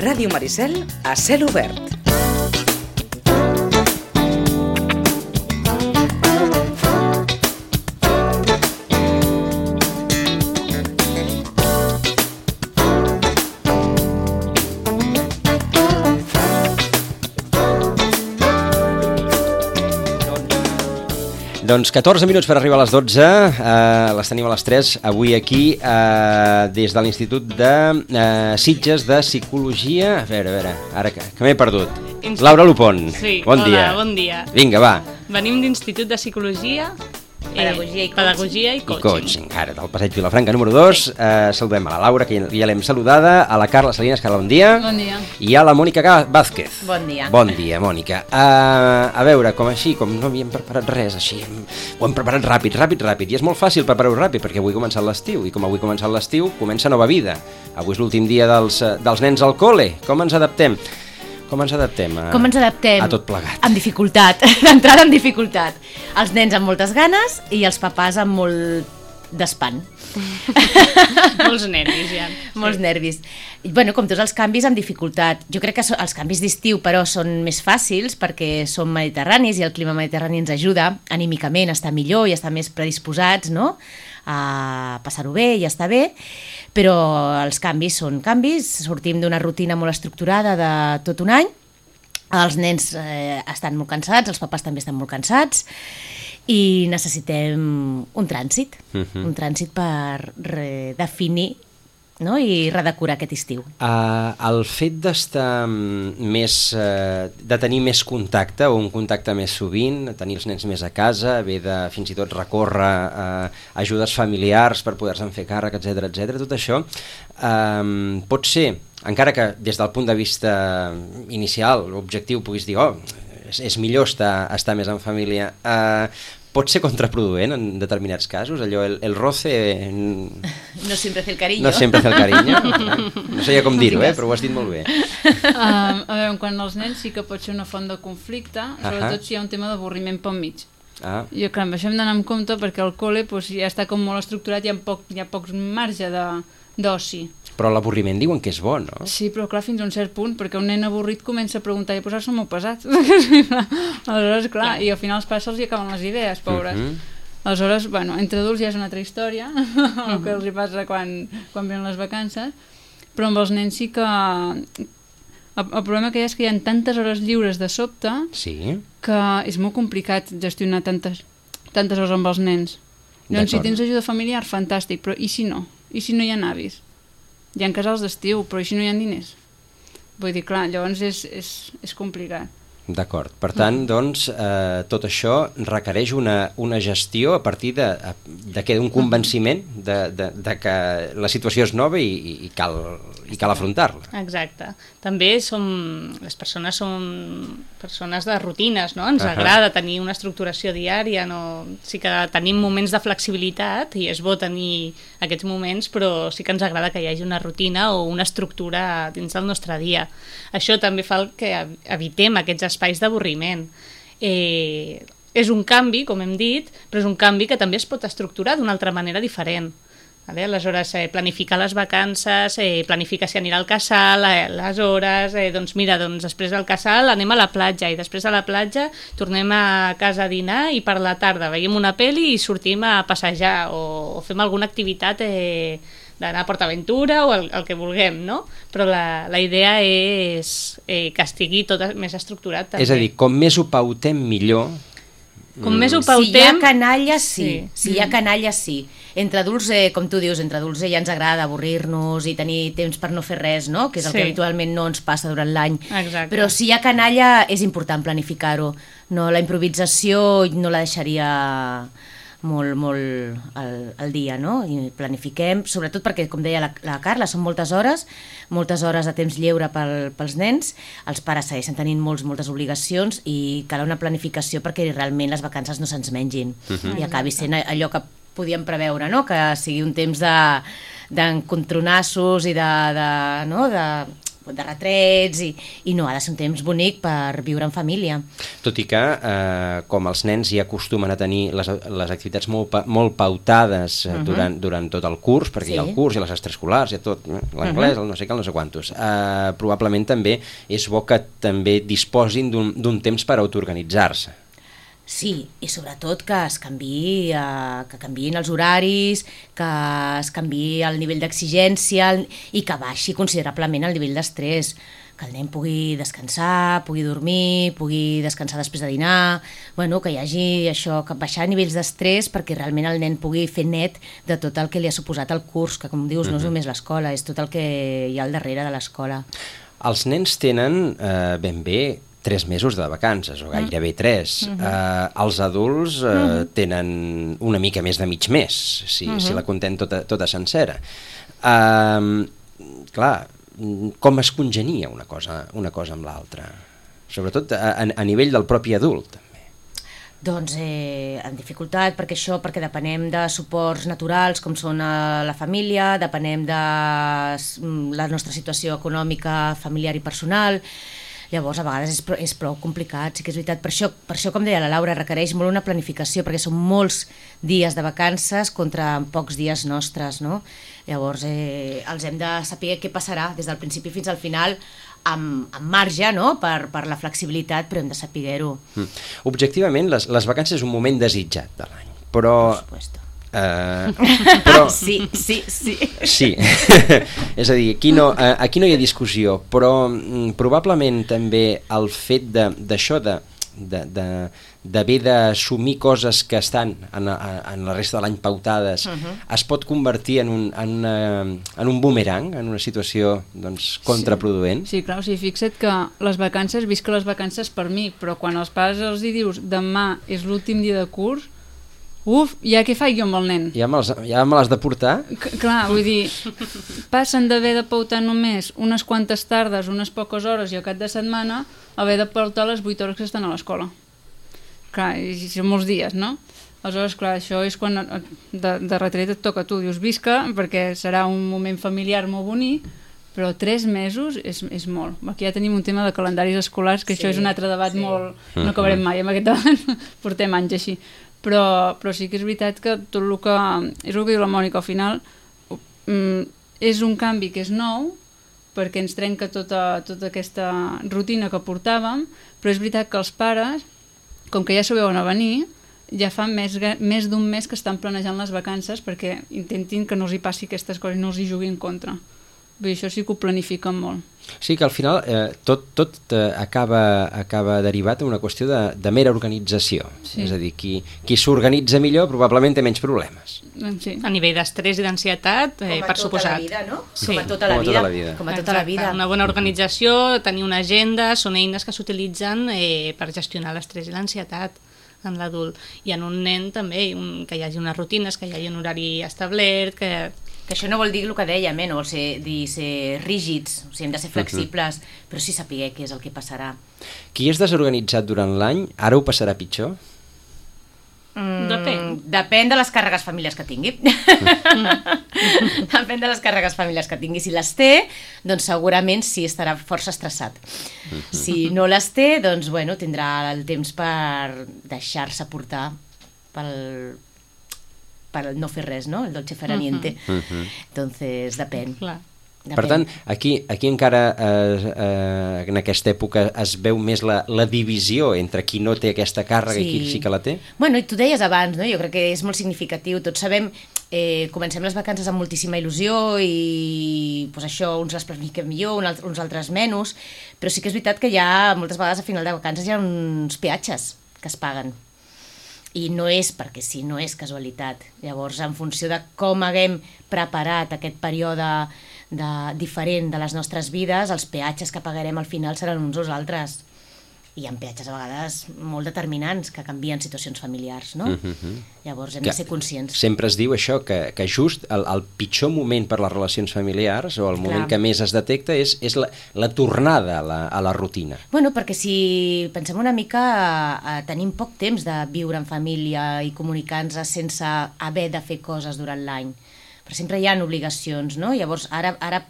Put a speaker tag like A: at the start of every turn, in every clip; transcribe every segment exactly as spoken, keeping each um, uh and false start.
A: Ràdio Maricel a cel obert.
B: Doncs catorze minuts per arribar a les dotze, eh, les tenim a les tres, avui aquí, eh, des de l'Institut de eh, Sitges de Psicologia. A veure, a veure, ara que, que m'he perdut. Inst... Laura Lupon,
C: sí,
B: bon
C: hola,
B: dia.
C: bon dia.
B: Vinga, va.
C: Venim d'Institut de Psicologia,
D: Pedagogia i
C: eh, Pedagogia i
B: I
C: Coaching.
B: coaching, ara, del Passeig Vilafranca número dos. Sí. Eh, saludem a la Laura, que ja, ja l'hem saludada, a la Carla Salinas, Carla, bon dia.
C: Bon dia.
B: I a la Mònica Vázquez.
D: Bon dia.
B: Bon dia, Mònica. Uh, a veure, com així, com no havíem preparat res, així, ho hem preparat ràpid, ràpid, ràpid. I és molt fàcil preparar-ho ràpid, perquè avui ha començat l'estiu, i com avui ha començat l'estiu, comença nova vida. Avui és l'últim dia dels, dels nens al col·le. Com ens adaptem? Com ens adaptem a,
D: Com ens adaptem?
B: a tot plegat?
D: Amb dificultat, d'entrada amb dificultat. Els nens amb moltes ganes i els papàs amb molt d'espant.
C: Molts nervis, ja.
D: Molts nervis. I, bueno, com tots els canvis, amb dificultat. Jo crec que so, els canvis d'estiu, però, són més fàcils perquè som mediterranis i el clima mediterrani ens ajuda anímicament a estar millor i a estar més predisposats, no?, a passar-ho bé i a estar bé, però els canvis són canvis, sortim d'una rutina molt estructurada de tot un any, els nens eh, estan molt cansats, els papàs també estan molt cansats, i necessitem un trànsit, uh-huh. un trànsit per redefinir, no?, i redecorar aquest estiu.
B: Uh, el fet d'estar més, uh, de tenir més contacte o un contacte més sovint, tenir els nens més a casa, haver de fins i tot recórrer uh, ajudes familiars per poder-se'n fer càrrec, etcètera, etcètera, tot això uh, pot ser, encara que des del punt de vista inicial, l'objectiu puguis dir, oh, és, és millor estar, estar més en família, uh, pot ser contraproduent en determinats casos, allò, el, el roce...
D: No sempre hace el cariño.
B: No sempre hace el cariño. No sabia com dir-ho, eh, però ho has dit molt bé.
E: Um, a veure, quan els nens sí que pot ser una font de conflicte, sobretot uh-huh. si hi ha un tema d'avorriment pel mig.
B: Ah.
E: Jo crec que això hem d'anar amb compte perquè el col·le pues, ja està com molt estructurat i hi ha, poc, hi ha pocs marge d'oci.
B: Però l'avorriment diuen que és bo, no?
E: Sí, però clar, fins a un cert punt, perquè un nen avorrit comença a preguntar i a posar-se molt pesat. Aleshores, clar, i al final els pares se'ls hi acaben les idees, pobres. Uh-huh. Aleshores, bueno, entre adults ja és una altra història, el que els hi passa quan, quan venen les vacances, però amb els nens sí que... El, el problema que hi ha és que hi ha tantes hores lliures de sobte
B: sí.
E: que és molt complicat gestionar tantes, tantes hores amb els nens. Doncs si tens ajuda familiar, fantàstic, però i si no? I si no hi ha avis? Hi ha casals d'estiu, però i si no hi ha diners? Vull dir, clar, llavors és, és, és complicat.
B: D'acord. Per tant, doncs, eh, tot això requereix una, una gestió a partir de, de que d'un convenciment de, de, de que la situació és nova i, i cal, i cal afrontar-la.
C: Exacte. També som, les persones són persones de rutines, no? Ens
B: uh-huh.
C: agrada tenir una estructuració diària, no? Sí que tenim moments de flexibilitat i és bo tenir aquests moments, però sí que ens agrada que hi hagi una rutina o una estructura dins del nostre dia. Això també fa que evitem aquests espais d'avorriment. Eh, és un canvi, com hem dit, però és un canvi que també es pot estructurar d'una altra manera diferent. Vale? Aleshores, eh, planificar les vacances, eh, planificar si anirà al casal, eh, les hores, eh, doncs mira, doncs després del casal anem a la platja i després a la platja tornem a casa a dinar i per la tarda veiem una pel·li i sortim a passejar o, o fem alguna activitat eh, d'anar a PortAventura o el, el que vulguem, no? Però la, la idea és eh, que estigui tot més estructurat també.
B: És a dir, com més ho pautem millor...
C: Com més ho pautem...
D: Si hi ha canalla, sí.
C: sí.
D: Si hi ha canalla, sí. Entre adults, eh, com tu dius, entre adults eh, ja ens agrada avorrir-nos i tenir temps per no fer res, no? Que és el
C: sí.
D: que habitualment no ens passa durant l'any.
C: Exacte.
D: Però si hi ha canalla, és important planificar-ho. No, la improvisació no la deixaria molt, molt al, al dia, no? I planifiquem, sobretot perquè, com deia la, la Carla, són moltes hores, moltes hores de temps lleure pel, pels nens, els pares segueixen tenint molts, moltes obligacions i cal una planificació perquè realment les vacances no se'ns mengin uh-huh. i acabi sent allò que podíem preveure, no? Que sigui un temps de, d'encontronassos i de, de, no? de de retrets, i, i no, ha de ser un temps bonic per viure en família.
B: Tot i que, eh, com els nens ja acostumen a tenir les, les activitats molt, pa, molt pautades eh, uh -huh. durant, durant tot el curs, perquè sí. hi ha el curs, hi ha les extraescolars, hi ha tot, eh, l'anglès, uh -huh. el no sé què, el no sé quantos, eh, probablement també és bo que també disposin d'un temps per autoorganitzar-se.
D: Sí, i sobretot que es canviï, eh, que canviïn els horaris, que es canviï el nivell d'exigència i que baixi considerablement el nivell d'estrès, que el nen pugui descansar, pugui dormir, pugui descansar després de dinar, bueno, que hi hagi això, que baixar nivells d'estrès perquè realment el nen pugui fer net de tot el que li ha suposat el curs, que com dius no és només l'escola, és tot el que hi ha al darrere de l'escola.
B: Els nens tenen eh, ben bé tres mesos de vacances, o gairebé tres. Uh -huh. eh, els adults eh, uh -huh. tenen una mica més de mig mes, si, uh -huh. si la contem tota, tota sencera. Eh, clar, com es congenia una cosa, una cosa amb l'altra? Sobretot a, a nivell del propi adult, també.
D: Doncs eh, en dificultat, perquè això, perquè depenem de suports naturals, com són eh, la família, depenem de la nostra situació econòmica, familiar i personal. Llavors, a vegades és, prou, és prou complicat, sí que és veritat. Per això, per això, com deia la Laura, requereix molt una planificació, perquè són molts dies de vacances contra pocs dies nostres, no? Llavors, eh, els hem de saber què passarà des del principi fins al final, amb, amb marge, no?, per, per la flexibilitat, però hem de saber-ho.
B: Mm. Objectivament, les, les vacances és un moment desitjat de l'any, però...
D: Per supuesto.
B: Uh, però...
D: sí, sí, sí.
B: Sí, és a dir, aquí no, uh, aquí no hi ha discussió, però mm, probablement també el fet d'això de d'haver d'assumir coses que estan en, en la resta de l'any pautades, uh -huh. es pot convertir en un, en, una, en un boomerang, en una situació doncs, contraproduent.
E: Sí, sí, clar, o sigui, fixa't que les vacances, visc les vacances per mi, però quan els pares els hi dius demà és l'últim dia de curs, uf, ja què faig jo amb el nen?
B: Ja me l'has ja me l'has de portar?
E: C clar, vull dir, passen d'haver de pautar només unes quantes tardes, unes poques hores i al cap de setmana, a haver de pautar les vuit hores que estan a l'escola. Clar, i són molts dies, no? Aleshores, clar, això és quan de, de retret et toca a tu, dius visca, perquè serà un moment familiar molt bonic, però tres mesos és, és molt. Aquí ja tenim un tema de calendaris escolars, que sí, això és un altre debat sí. molt... No acabarem mai amb aquest debat, portem anys així. Però, però sí que és veritat que tot el que... És el que diu la Mònica, al final mm, és un canvi que és nou, perquè ens trenca tota, tota aquesta rutina que portàvem, però és veritat que els pares, com que ja s'ho veuen a venir, ja fa més, més d'un mes que estan planejant les vacances perquè intentin que no els hi passi aquestes coses, no els hi juguin en contra. Vull dir, això sí que ho planifiquen molt.
B: Sí, que al final eh, tot, tot eh, acaba, acaba derivat en una qüestió de, de mera organització. Sí. És a dir, qui, qui s'organitza millor probablement té menys problemes.
C: Sí. A nivell d'estrès i d'ansietat, eh, per suposat.
D: Com a tota la vida, no?
C: Sí.
D: Com a tota la,
B: Com a
D: vida.
B: tota la vida.
D: Com a tota la vida.
C: Una bona organització, tenir una agenda, són eines que s'utilitzen eh, per gestionar l'estrès i l'ansietat en l'adult. I en un nen també, un, que hi hagi unes rutines, que hi hagi un horari establert, que...
D: Que això no vol dir el que dèiem, eh? No vol ser, dir ser rígids, o sigui, hem de ser flexibles, uh-huh. però sí saber què és el que passarà.
B: Qui és desorganitzat durant l'any, ara ho passarà pitjor?
D: Mm,
C: depèn.
D: Depèn de les càrregues familiars que tingui. Mm. Depèn de les càrregues familiars que tingui. Si les té, doncs segurament sí estarà força estressat. Mm-hmm. Si no les té, doncs bueno, tindrà el temps per deixar-se portar pel... per no fer res, no? El dolce farà niente. Uh -huh. Entonces, depèn.
C: Clar.
B: Depèn. Per tant, aquí, aquí encara eh, eh, en aquesta època es veu més la, la divisió entre qui no té aquesta càrrega sí. i qui sí que la té?
D: Bueno, i tu deies abans, no? Jo crec que és molt significatiu. Tots sabem, eh, comencem les vacances amb moltíssima il·lusió i pues això, uns les planifiquem millor, uns altres menys, però sí que és veritat que hi ha, moltes vegades a final de vacances hi ha uns peatges que es paguen. I no és perquè sí, no és casualitat. Llavors, en funció de com haguem preparat aquest període de, diferent de les nostres vides, els peatges que pagarem al final seran uns o els altres. I hi ha peatges a vegades molt determinants que canvien situacions familiars, no? Uh-huh. Llavors hem que de ser conscients.
B: Sempre es diu això, que, que just el, el pitjor moment per les relacions familiars o el moment Clar. que més es detecta és, és la, la tornada a la, a la rutina.
D: Bueno, perquè si pensem una mica, eh, tenim poc temps de viure en família i comunicar-nos sense haver de fer coses durant l'any. Però sempre hi ha obligacions, no? Llavors ara, ara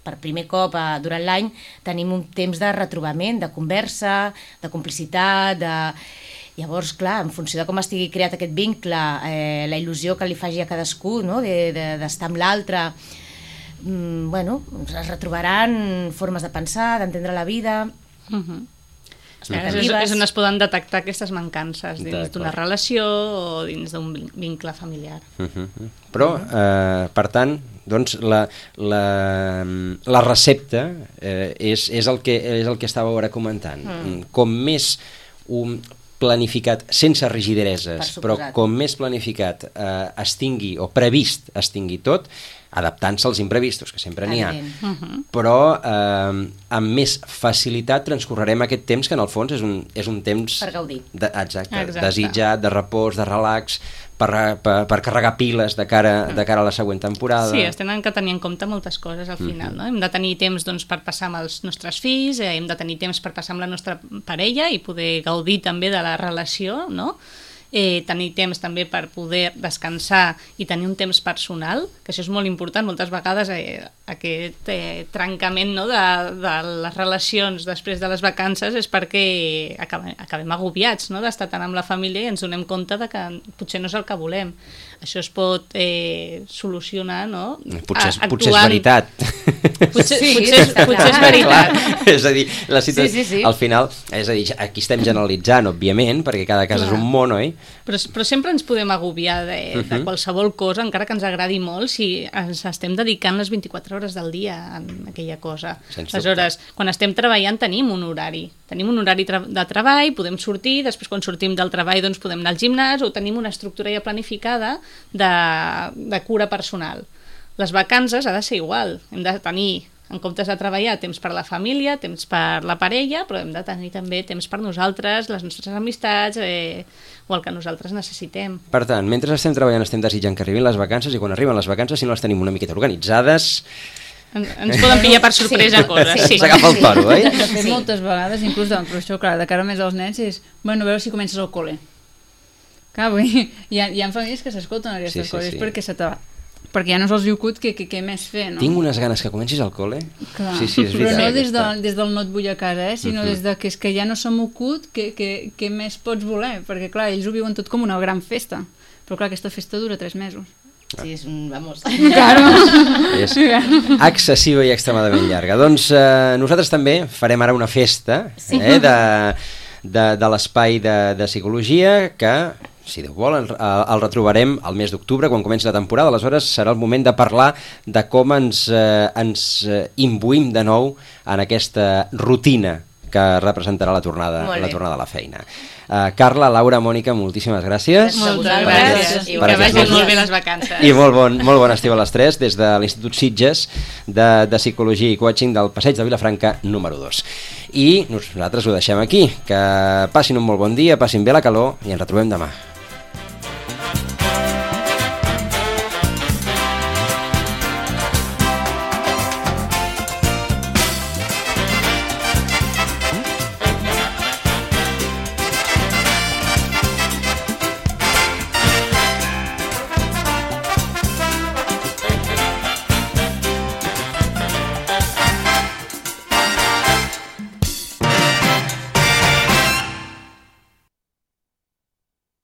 D: per primer cop eh, durant l'any tenim un temps de retrobament, de conversa, de complicitat, de... Llavors, clar, en funció de com estigui creat aquest vincle, eh, la il·lusió que li faci a cadascú, no? de, de, d'estar amb l'altre, mm, bueno, es retrobaran formes de pensar, d'entendre la vida...
C: Uh-huh. És, és on es poden detectar aquestes mancances dins d'una relació o dins d'un vincle familiar.
B: Uh-huh. Però, eh, per tant, doncs la, la, la recepta eh, és, és, el que, és el que estàveu ara comentant. Mm. Com més un planificat, sense rigidereses, però com més planificat eh, es tingui, o previst es tingui tot, adaptant-se als imprevistos, que sempre n'hi ha, uh-huh. però eh, amb més facilitat transcorrerem aquest temps que en el fons és un, és un temps
D: per gaudir.
B: De, exacte,
C: exacte.
B: desitjat, de repòs, de relax, per, per, per carregar piles de cara, de cara a la següent temporada.
C: Sí, es tenen que tenir en compte moltes coses al final. Uh-huh. No? Hem de tenir temps doncs, per passar amb els nostres fills, eh, hem de tenir temps per passar amb la nostra parella i poder gaudir també de la relació, no? Eh, tenir temps també per poder descansar i tenir un temps personal, que això és molt important. Moltes vegades eh, aquest eh, trencament, no, de, de les relacions després de les vacances és perquè acabem, acabem agobiats, no, d'estar tant amb la família i ens donem compte de que potser no és el que volem. Això es pot eh, solucionar, no?
B: Potser, és, potser és veritat.
C: Potser,
D: sí,
C: potser, és, potser és veritat.
B: Clar, és a dir, la situació, sí, sí, sí. Al final, és a dir, aquí estem generalitzant, òbviament, perquè cada cas Clar. És un món, oi?
C: Però, però sempre ens podem agobiar de, de uh-huh. qualsevol cosa, encara que ens agradi molt, si ens estem dedicant les vint-i-quatre hores del dia en aquella cosa. Aleshores, quan estem treballant tenim un horari. Tenim un horari tra- de treball, podem sortir, després quan sortim del treball doncs podem anar al gimnàs o tenim una estructura ja planificada de, de cura personal. Les vacances ha de ser igual. Hem de tenir, en comptes de treballar, temps per la família, temps per la parella, però hem de tenir també temps per nosaltres, les nostres amistats eh, o el que nosaltres necessitem.
B: Per tant, mentre estem treballant estem desitjant que arribin les vacances i quan arriben les vacances, si no les tenim una miqueta organitzades...
C: En, ens poden pillar per sorpresa sí. coses. Sí.
B: S'agafa el toro, oi?
E: De fet, moltes vegades, inclús, doncs, però això, clar, de cara més als nens, és, bueno, a veure si comences al col·le. Clar, vull dir, hi ha, hi ha famílies que s'escolten aquestes sí, sí, coses sí. perquè se te va. Perquè ja no se'ls diu cut què més fer, no?
B: Tinc unes ganes que comencis al col·le.
E: Clar.
B: Sí, sí, és veritat.
E: Però no des, de, des del no et vull a casa, eh? sinó uh-huh. des de que, és que ja no som ocut, què que, que més pots voler? Perquè, clar, ells ho viuen tot com una gran festa. Però, clar, aquesta festa dura tres mesos.
D: Sí, és un... vamos.
E: Claro.
B: És excessiva i extremadament llarga. Doncs eh, nosaltres també farem ara una festa sí. eh, de, de, de l'espai de, de psicologia que... si Déu vol, el, el retrobarem al mes d'octubre, quan comenci la temporada. Aleshores serà el moment de parlar de com ens, eh, ens imbuïm de nou en aquesta rutina que representarà la tornada, la tornada a la feina. Uh, Carla, Laura, Mònica, moltíssimes gràcies.
C: Moltes gràcies. I que vagin molt bé les vacances.
B: I molt bon, molt bon estiu a les tres des de l'Institut Sitges de, de Psicologia i Coaching del Passeig de Vilafranca número dos. I nosaltres ho deixem aquí. Que passin un molt bon dia, passin bé la calor i ens retrobem demà.